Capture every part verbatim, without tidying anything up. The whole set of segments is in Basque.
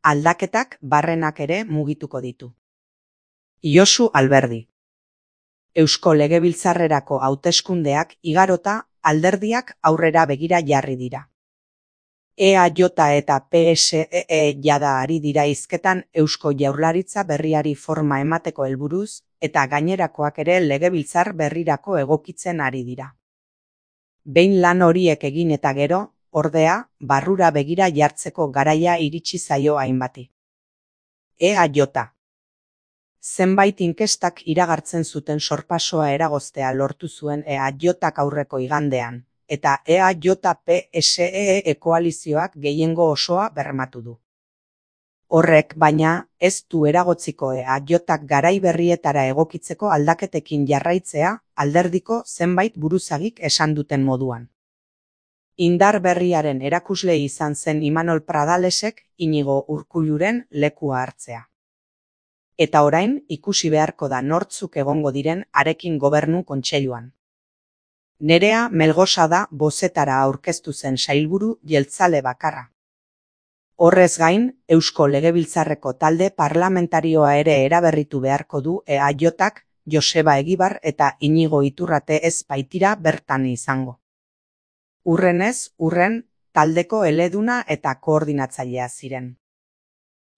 Aldaketak barrenak ere mugituko ditu. Josu Alberdi. Eusko Legebiltzarrerako hauteskundeak igarota alderdiak aurrera begira jarri dira. E A J eta P S E jada ari dira hizketan Eusko Jaurlaritza berriari forma emateko helburuz eta gainerakoak ere legebiltzar berrirako egokitzen ari dira. Behin lan horiek egin eta gero, ordea, barrura begira jartzeko garaia iritsi zaio hainbati. E A J. Zenbait inkestak iragartzen zuten sorpasoa eragoztea lortu zuen E A Jak aurreko igandean, eta E A J P S E koalizioak gehiengo osoa bermatu du. Horrek, baina, ez du eragotziko E A Jak garai berrietara egokitzeko aldaketekin jarraitzea alderdiko zenbait buruzagik esan duten moduan. Indar berriaren erakusle izan zen Imanol Pradalesek Inigo Urkulluren lekua hartzea. Eta orain ikusi beharko da nortzuk egongo diren harekin gobernu kontseiluan. Nerea Melgosa da bozetara aurkeztu zen sailburu jeltzale bakarra. Horrez gain, Eusko Legebiltzarreko talde parlamentarioa ere eraberritu beharko du E A Jak, Joseba Egibar eta Inigo Iturrate ez baitira bertan izango. Urrenez, urren, taldeko eleduna eta koordinatzailea ziren.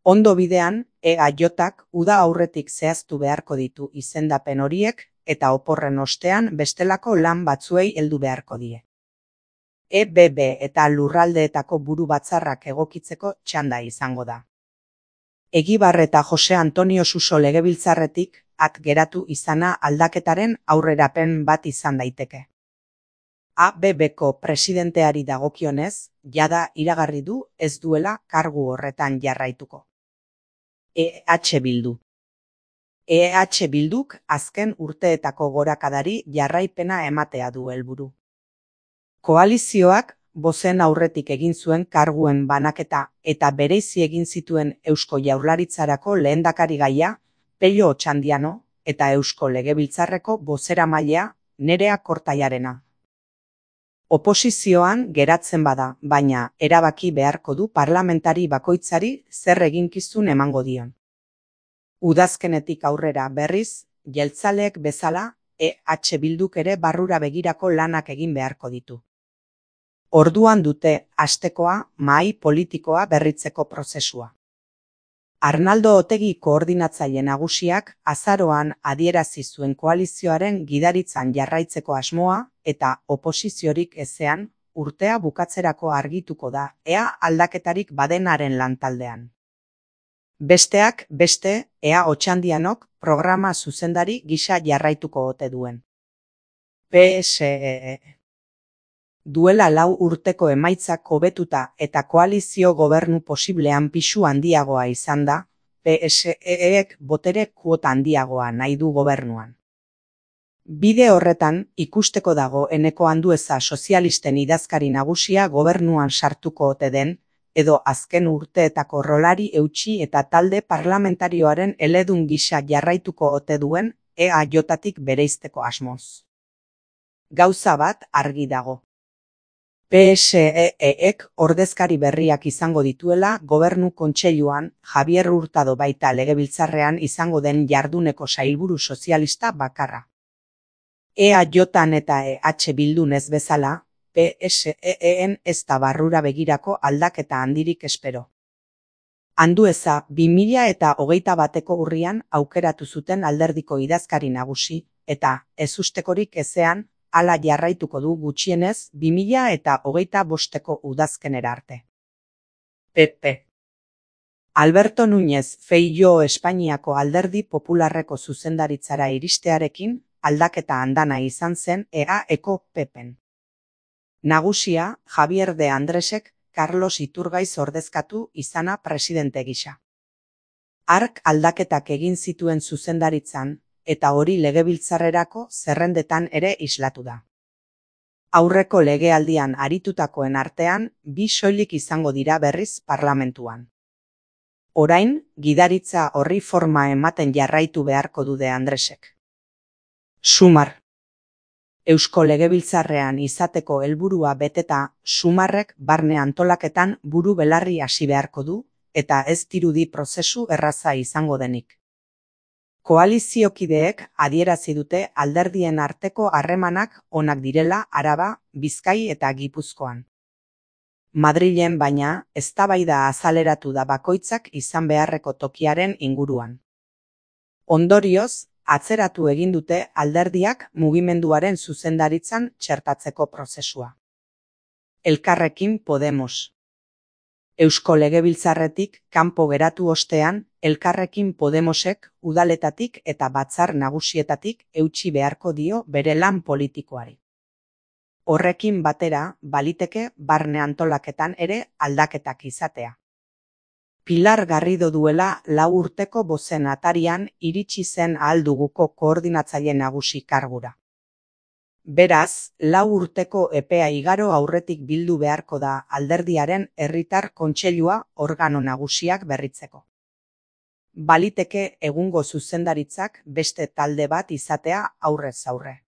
Ondo bidean, E A Jak uda aurretik zehaztu beharko ditu izendapen horiek eta oporren ostean bestelako lan batzuei heldu beharko die. E B B eta lurraldeetako buru batzarrak egokitzeko txanda izango da. Egibar eta Jose Antonio Suso legebiltzarretik at geratu izana aldaketaren aurrerapen bat izan daiteke. A B Bko presidenteari dagokionez, jada iragarri du ez duela kargu horretan jarraituko. E H Bildu. E H Bilduk azken urteetako gorakadari jarraipena ematea du helburu. Koalizioak bozen aurretik egin zuen karguen banaketa eta bereizi egin zituen Eusko Jaurlaritzarako lehendakarigaia Pello Otxandiano eta Eusko Legebiltzarreko bozeramailea Nerea Kortaiarena. Oposizioan geratzen bada, baina erabaki beharko du parlamentari bakoitzari zer eginkizun emango dion. Udazkenetik aurrera berriz, jeltzaleek bezala E H Bilduk ere barrura begirako lanak egin beharko ditu. Orduan dute hastekoa mahai politikoa berritzeko prozesua. Arnaldo Otegi koordinatzaile nagusiak azaroan adierazi zuen koalizioaren gidaritzan jarraitzeko asmoa eta oposiziorik ezean urtea bukatzerako argituko da ea aldaketarik badenaren lantaldean. Besteak beste ea Otxandianok programa zuzendari gisa jarraituko ote duen. P S E. Duela lau urteko emaitzak hobetuta eta koalizio gobernu posiblean pisu handiagoa izan da, P S E-ek botere kuota handiagoa nahi du gobernuan. Bide horretan ikusteko dago Eneko Andueza sozialisten idazkari nagusia gobernuan sartuko ote den, edo azken urteetako rolari eutsi eta talde parlamentarioaren eledun gisa jarraituko ote duen E A Jtik bereizteko asmoz. Gauza bat argi dago. P S E-ek ordezkari berriak izango dituela gobernu kontseiluan Javier Hurtado baita legebiltzarrean izango den jarduneko sailburu sozialista bakarra. E A Jan eta E H Bildun ez bezala, P S E-en ez da barrura begirako aldaketa handirik espero. Andueza bi mila eta hogeita bateko urrian aukeratu zuten alderdiko idazkari nagusi, eta ezustekorik ezean, hala jarraituko du gutxienez bi mila eta hogeita bosteko udazkenera arte. P P. Alberto Núñez Feijóo Espainiako Alderdi Popularreko zuzendaritzara iristearekin aldaketa andana izan zen E A-eko P Pen. Nagusia Javier de Andresek Carlos Iturgaiz ordezkatu izana presidente gisa. Hark aldaketak egin zituen zuzendaritzan, eta hori legebiltzarrerako zerrendetan ere islatu da. Aurreko legealdian aritutakoen artean, bi soilik izango dira berriz parlamentuan. Orain, gidaritza horri forma ematen jarraitu beharko du de Andresek. Sumar. Eusko Legebiltzarrean izateko helburua beteta, Sumarrek barne antolaketan buru belarri hasi beharko du, eta ez dirudi prozesu erraza izango denik. Koaliziokideek adierazi dute alderdien arteko harremanak onak direla Araba, Bizkai eta Gipuzkoan. Madrilen, baina, eztabaida azaleratu da bakoitzak izan beharreko tokiaren inguruan. Ondorioz, atzeratu egin dute alderdiak mugimenduaren zuzendaritzan txertatzeko prozesua. Elkarrekin Podemos. Eusko Legebiltzarretik kanpo geratu ostean, Elkarrekin Podemosek udaletatik eta batzar nagusietatik eutsi beharko dio bere lan politikoari. Horrekin batera, baliteke barne antolaketan ere aldaketak izatea. Pilar Garrido duela lau urteko bozen atarian iritsi zen Ahal Duguko koordinatzaile nagusi kargura. Beraz, lau urteko epea igaro aurretik bildu beharko da alderdiaren herritar kontseilua organo nagusiak berritzeko. Baliteke egungo zuzendaritzak beste talde bat izatea aurrez aurre.